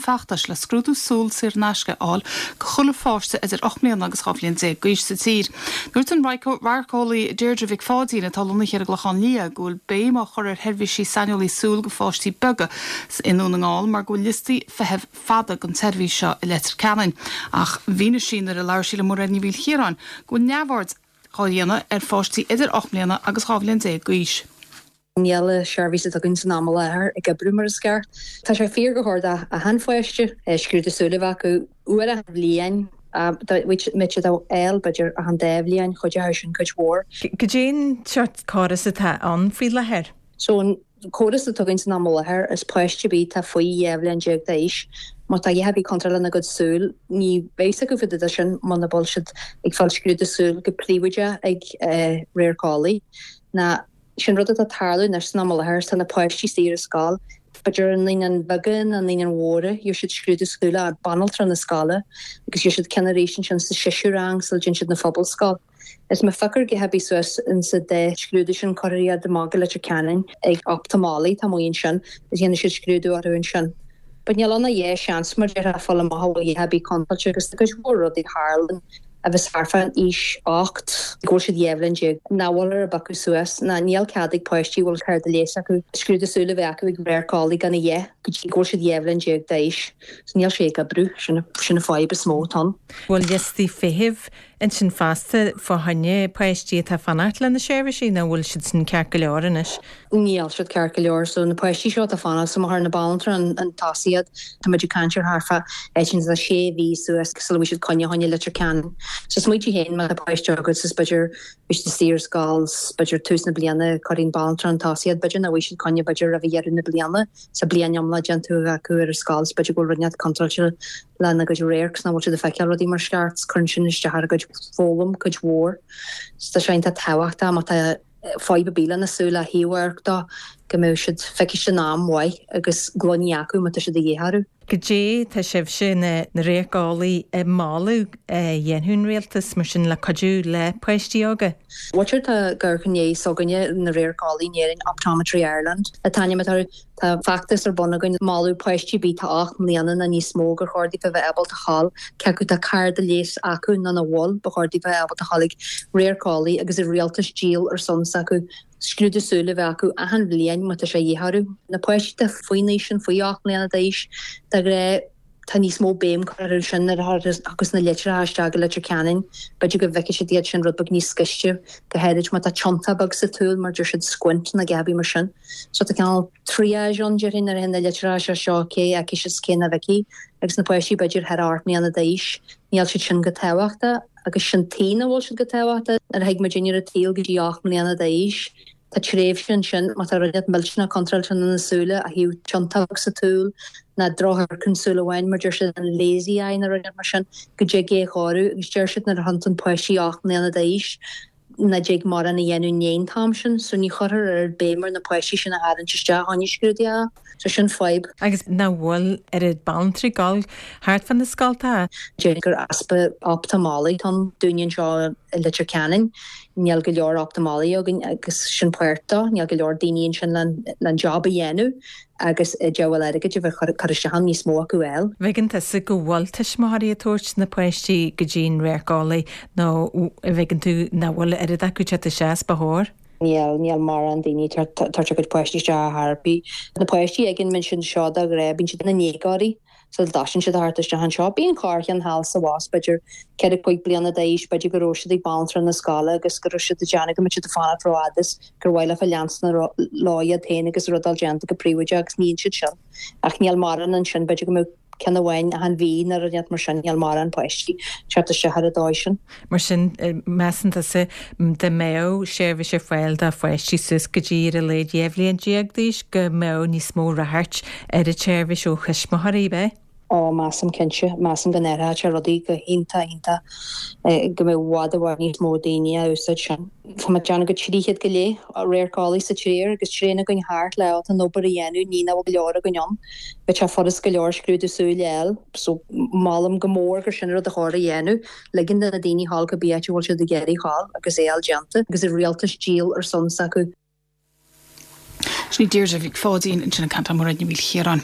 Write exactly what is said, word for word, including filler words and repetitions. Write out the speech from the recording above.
feachtais le scrúdú súl saor in aisce a fháil do chuile pháiste idir ocht mbliana agus dhá bhliain déag d'aois sa tír. Dúirt an radharceolaí Deirdre Mhic Pháidín atá lonnaithe ar an gClochán Liath go bhfuil béim á chur ar sheirbhísí saineolaí súl do pháistí beaga i nDún na nGall mar go bhfuil liostaí feithimh fada don tseirbhís seo i Leitir Ceanainn. Ach mhínigh sí nuair a labhair sí le Mairéad Ní Mhaoilchiaráin go bhfuil neamhaird á dhéanamh ar pháistí idir ocht mbliana agus dhá bhliain déag d'aois. Níl seirbhís againn san am i láthair ag oibriú mar is ceart. Tá sé fíor gur chóir d'achan pháiste scrúdú súl a bheith acu uair a bhliain mit eil b'fhéidir achan dá bhliain chuid sin cuid mhór. Cad é an seort córas atá ann faoi láthair. So an córas atá againn san am i láthair is páiste bí tá faoi dhá bhliain déag d'aois, má tá a bhí contúirt lena gcuid súl ní bheidh acu fá sin muna bhfuil siad ag fáil scrúdú súl go príobháideach ag radharceolaí. Na sin rud atá tarlú anois san am i láthair tá na páistí istigh ar scoil, B'fhéidir an naíonáin bheaga na naíonáin mhóra gheobhaidh siad scrúdú súl ag banaltra na scoile agus gheobhaidh siad ceann arís ansin sa séú rang sula dtéann siad na phobalscoil. Is má phioctar go hebí suas in sa dá scrúdú sin cuirtear iad amach go Leitir Ceanainn ag optamalaí tá mu sin is dhéanann siad scrúdú orthu ansin. But níl ann a dhé seans mar deir fáil amach bhfuil hebí contúirte agus tá cuid mhór rudaí tharlann a bheas thart fán aois ocht go bhfuil siad dhá bhliain déag nach bhfuil ar a bpiocadh suas ná níl cead ag páistí bhfuil cárta leighis acu scrúdú súl a bheith acu ag radharceolaí gan a dhéith go dtí go bhfuil siad dhá bhliain déag d'aois. So níl sé ag oibriú sin sin an fadhb is mó atá. Bhfuil liostaí feithimh ansin fosta fá choinne páistí atá fanacht lena seirbhísí nó bhfuil siad sin ceart go leor anois. Níl siad ceart go leor so na páistí seo tá fanacht so mar na banaltra an, an tosaíad Tá muid ag caint ar thart fá sin a sé mhí suas sula bhfuil siad coinne choinne Leitir Ceanainn. So smaointigh féin má tá páiste agat is b'fhéidir bhí siad istigh ar scoil b'fhéidir tús na bliana cuireann banaltra an tosaíad b'fhéidir nach bhfuil siad coinne b'fhéidir roimh dheireadh na bliana sa bliain iomlán déanta acu ar scoil b'fhéidir go bhfuil rud contúirteach lena gcuid radhairc nach bhfuil siad ag feiceáil rudaí mar is ceart cuireann sin isteach ar a gcuid foghlaim cuid mhór. So tá sé iontach tábhachtach má tá fadhb ar bith lena súil a thaobh dó go mbeidh siad feiciste in am mhaith agus gloiní acu má tá siad a dhíth orthu. Goidé tá sibhse na na radharceolaí ag moladh a dhéanfadh an rialtas mar sin le cuidiú le páistí óga. Bhuel tá gur chun s'againne na radharceolaí in Éirinn Optometry Ireland atá ainm atá tá feachtas ar bun againn moladh páistí bí tá ocht mbliana nó níos mó gur chóir daofa bheith ábalta ghabháil cé acu tá cárta leighis acu nó nach bhfuil ba chóir daofa bheith ábalta ghabháil ag radharceolaí agus i rialtas díol ar son acu scrúdú súl a bheith acu achan bhliain má tá sé de dhíth orthu. Na páistí tá faoin aois sin faoi ocht mbliana d'aois tá gré tá níos mó béim curtha sin ar agus na litreacha isteach go Leitir Ceanainn, B'fhéidir go bhfeicfidh siad iad sin rud beag níos gaiste go háirid má tá tiontach beag sa tsúil mar deir siad squint na gabí mar sin. So tá cineál triage ann déarfainn ar na litreacha seo cé acu is cé nach bhfeicfidh agus na páistí b'fhéidir thar ocht mbliana d'aois níl siad sin go tábhachtach agus sin taobh bhfuil siad go tábhachtach ar thuig muid ar a taobh go dtí ocht mbliana d'aois. Tá tréimhse ansin má tá rud millteanach contúirteach na súile a thaobh tiontach sa tsúil ná drochshearc an súil amháin mar deir siad an lazy eye na rud mar sin go dtig é chóiriú agus deir siad nuair a théann páistí ocht mbliana d'aois nach dtig mórán a dhéanamh an t-am sin, so ní chuirtear ar béim ar na páistí sin a tharraingt isteach choinne scrúduithe, so sin fadhb. Agus nach bhfuil ar an banaltraí ag gabháil thart fan na scoltacha. Deir gur easpa optamalaí tá dúinn anseo i Leitir Ceanainn, níl go leor optamalaí againn agus sin páirt dó, níl go leor daoine ansin le job a dhéanamh agus diabhal airgid a bheith chur isteach níos mó acu eil. Bhfeiceann tusa go bhfuil tuismitheoirí ag tabhairt na páistí go dtí'n radharceolaí nó bhfeiceann tú nach bhfuil oiread acu teacht isteach is ba chóir? Níl níl mórán daoine tabhairt a gcuid páistí isteach ar bith. Na páistí ag an min sin seo de ghnáth bíonn siad ina ndéagóirí so dtagann siad thart isteach anseo. Bíonn corrcheann thall sa bhás b'fhéidir ceithre cúig bliana d'aois b'fhéidir go raibh siad ag banaltra na scoile agus go raibh siad ag déanamh go mbeadh siad ag fanacht rófhada is gur mhaith leo leanstan lá iad féin agus rud déanta go príobháideach agus níonn siad sin. Ach níl mórán ansin b'fhéidir go mbeadh ceann amháin achan mhí nó rud mar sin níl mórán páistí teacht isteach ar an dóigh sin. Mar sin measann tusa dá mbeadh seirbhís ar fáil do pháistí suas go dtí ar a laghad dhá bhliain déag d'aois go mbeadh níos mó ráchairt ar an tseirbhís ó thuismitheoirí be. Ó measaim cinnte, measaim go n-athródh sé rudaí go hiontach iontach go mbeadh i bhfad i bhfad níos mó daoine a úsáid sin. Tá muid déanamh go trí chéad go leith radharceolaí sa tír agus tréan againn thart le an obair a dhéanamh ní nach bhfuil go leor againn ann. Bheadh sé furast go leor scrúdú súl a fháil, so molaim go mór gur sin rud a chóir a dhéanamh, ligean do na daoine ghabháil cibé áit a bhfuil siad ag iarraidh ghabháil agus é fháil déanta agus i rialtas díol ar son s'acu. Sin Deirdre Mhic Pháidín ansin ag caint le Mairéad Ní Mhaoilchiaráin.